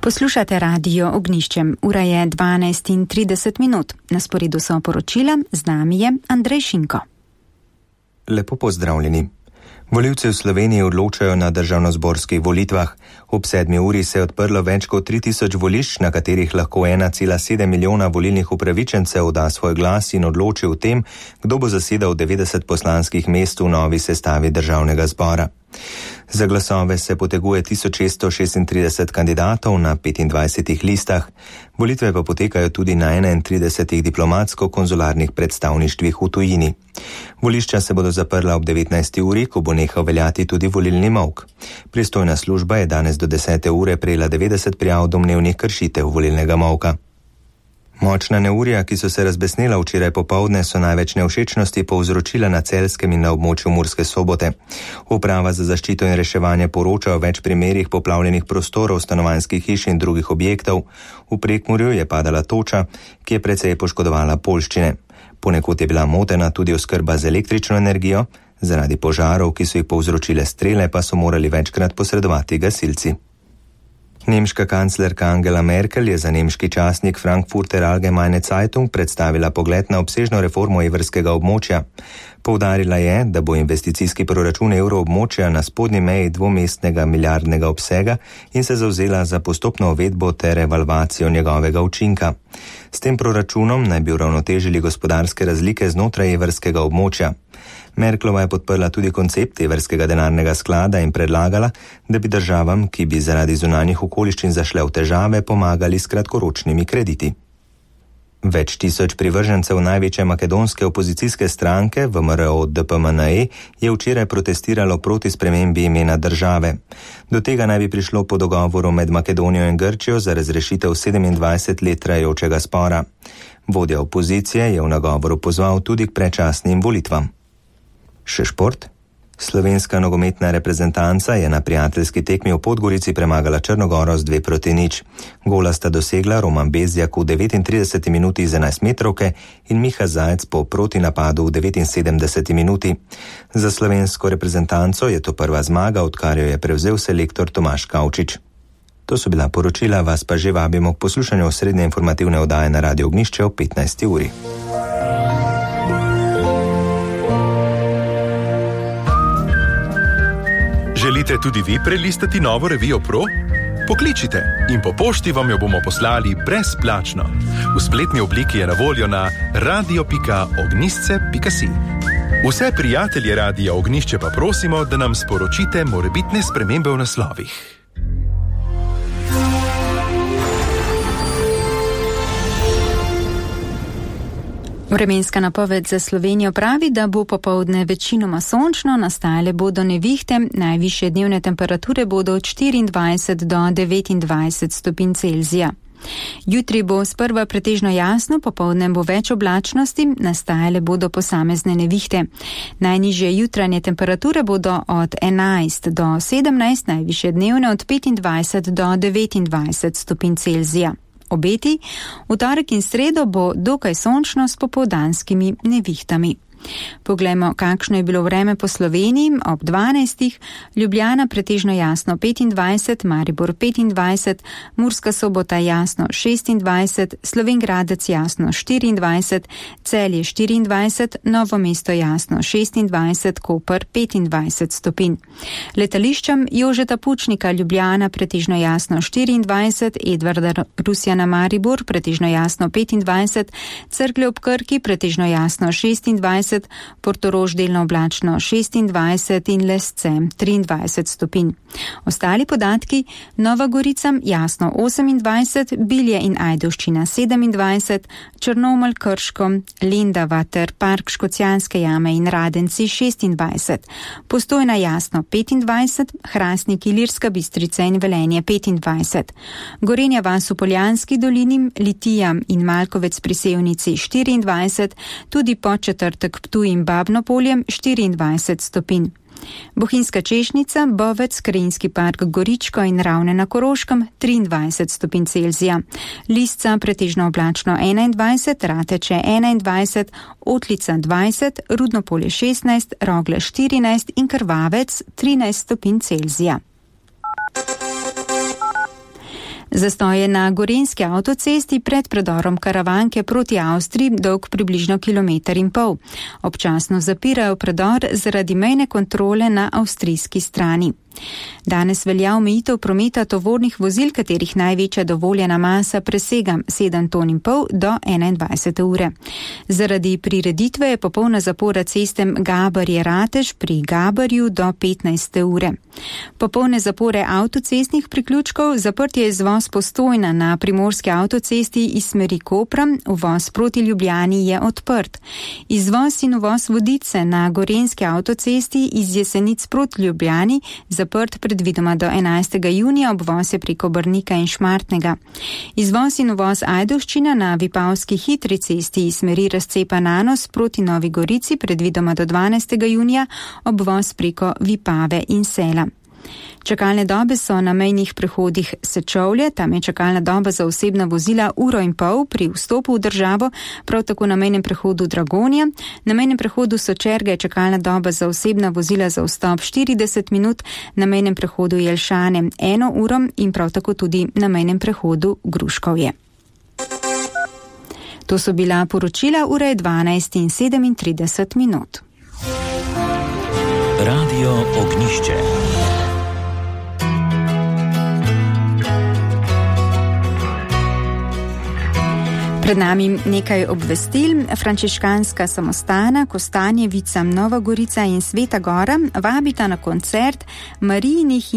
Poslušate Radio Ognjišče. Ura je 12:30. Na sporedu so poročila, z nami je Andrej Šinko. Lepo pozdravljeni. Volivci v Sloveniji odločajo na državnozborskih volitvah. Ob 7. uri se je odprlo več kot 3000 volišč, na katerih lahko 1,7 milijona volilnih upravičencev da svoj glas in odloči o tem, kdo bo zasedal 90 poslanskih mest v novi sestavi državnega zbora. Za glasove se poteguje 1636 kandidatov na 25 listah. Volitve pa potekajo tudi na 31 diplomatsko-konzularnih predstavništvih v tujini. Volišča se bodo zaprla ob 19. uri, ko bo nehal veljati tudi volilni molk. Pristojna služba je danes do 10. ure prejela 90 prijav domnevnih kršitev volilnega molka. Močna neurja, ki so se razbesnela včeraj popoldne, so največ nevšečnosti povzročila na Celjskem in na območju Murske Sobote. Uprava za zaščito in reševanje poroča o več primerih poplavljenih prostorov, stanovanjskih hiš in drugih objektov. V Prekmurju je padala toča, ki je precej poškodovala poljščine. Ponekod je bila motena tudi oskrba z električno energijo, zaradi požarov, ki so jih povzročile strele, pa so morali večkrat posredovati gasilci. Nemška kanclerka Angela Merkel je za nemški časnik Frankfurter Allgemeine Zeitung predstavila pogled na obsežno reformo evrskega območja. Poudarila je, da bo investicijski proračun evroobmočja na spodnji meji dvomestnega milijardnega obsega in se zavzela za postopno uvedbo ter evalvacijo njegovega učinka. S tem proračunom naj bi uravnotežili gospodarske razlike znotraj evrskega območja. Merklova je podprla tudi koncept evrskega denarnega sklada in predlagala, da bi državam, ki bi zaradi zunanjih okoliščin zašle v težave, pomagali s kratkoročnimi krediti. Več tisoč privržencev največje makedonske opozicijske stranke VMRO-DPMNE je včeraj protestiralo proti spremembi imena države. Do tega naj bi prišlo po dogovoru med Makedonijo in Grčijo za razrešitev 27 let trajajočega spora. Vodja opozicije je v nagovoru pozval tudi k predčasnim volitvam. Še šport. Slovenska nogometna reprezentanca je na prijateljski tekmi v Podgorici premagala Črnogoro z 2-0. Gola sta dosegla Roman Bezjak v 39 minuti z 11-metrovke in Miha Zajec po protinapadu v 79 minuti. Za slovensko reprezentanco je to prva zmaga, odkar jo je prevzel selektor Tomaž Kavčič. To so bila poročila, vas pa že vabimo k poslušanju osrednje informativne oddaje na Radio Ognjišče ob 15. uri. Želite tudi vi prelistati novo revijo Pro? Pokličite in po pošti vam jo bomo poslali brezplačno. V spletni obliki je na voljo na radio.ognisce.si. Vse prijatelje Radia Ognjišče pa prosimo, da nam sporočite morebitne spremembe v naslovih. Vremenska napoved za Slovenijo pravi, da bo popoldne večinoma sončno, nastajale bodo nevihte, najvišje dnevne temperature bodo od 24 do 29 stopinj Celzija. Jutri bo sprva pretežno jasno, popoldne bo več oblačnosti, nastajale bodo posamezne nevihte. Najnižje jutranje temperature bodo od 11 do 17, najvišje dnevne od 25 do 29 stopinj Celzija. Obeti, v torek in sredo bo dokaj sončno s popoldanskimi nevihtami. Poglejmo, kakšno je bilo vreme po Sloveniji ob 12. Ljubljana pretežno jasno 25, Maribor 25, Murska Sobota jasno 26, Slovenj Gradec jasno 24, Celje 24, Novo mesto jasno 26, Koper 25 stopinj. Letališčem Jožeta Pučnika Ljubljana pretežno jasno 24, Edvarda Rusjana Maribor pretežno jasno 25, Cerklje ob Krki pretežno jasno 26, Portorož delno oblačno 26 in Lesce 23 stopinj. Ostali podatki: Nova Gorica jasno 28, Bilje in Ajdovščina 27, Črnomelj, Krško, Lendava ter Park Škocjanske jame in Radenci 26, Postojna jasno 25, Hrastnik, Ilirska Bistrica in Velenje 25, Gorenja vas v Poljanski dolini, Litija in Malkovec pri Sevnici 24, tudi Podčetrtek, Ptuj in Babno polje 24 stopinj. Bohinjska Češnica, Bovec, Krajinski park Goričko in Ravne na Koroškem 23 stopinj Celzija. Lisca pretežno oblačno 21, Rateče 21, Otlica 20, Rudno polje 16, Rogle 14 in Krvavec 13 stopinj Celzija. Zastoj je na gorenjski avtocesti pred predorom Karavanke proti Avstriji dolg približno 1,5 kilometra. Občasno zapirajo predor zaradi mejne kontrole na avstrijski strani. Danes velja omejitev prometa tovornih vozil, katerih največja dovoljena masa presega 7,5 ton do 21 ure. Zaradi prireditve je popolna zapora ceste Gabarje-Ratež pri Gabarju do 15 ure. Popolne zapore avtocestnih priključkov, zaprt je izvoz Postojna na primorski avtocesti iz smeri Kopra, uvoz proti Ljubljani je odprt. Izvoz in uvoz Vodice na gorenjski avtocesti iz Jesenic proti Ljubljani zaprt predvidoma do 11. junija, obvoz je preko Brnika in Šmartnega. Izvoz in uvoz Ajdovščina na Vipavski hitri cesti iz smeri razcepa Nanos proti Novi Gorici predvidoma do 12. junija, obvoz preko Vipave in Sela. Čakalne dobe so na mejnih prehodih Sečovlje, tam je čakalna doba za osebna vozila 1,5 ure pri vstopu v državo, prav tako na mejnem prehodu Dragonja. Na mejnem prehodu Sočerga je čakalna doba za osebna vozila za vstop 40 minut, na mejnem prehodu Jelšane 1 uro in prav tako tudi na mejnem prehodu Gruškovje. To so bila poročila, ura je 12:37. Radio Ognišče. Pred nami nekaj obvestil. Frančiškanska samostana Kostanjevica, Nova Gorica in Sveta Gora vabita na koncert Marijinih in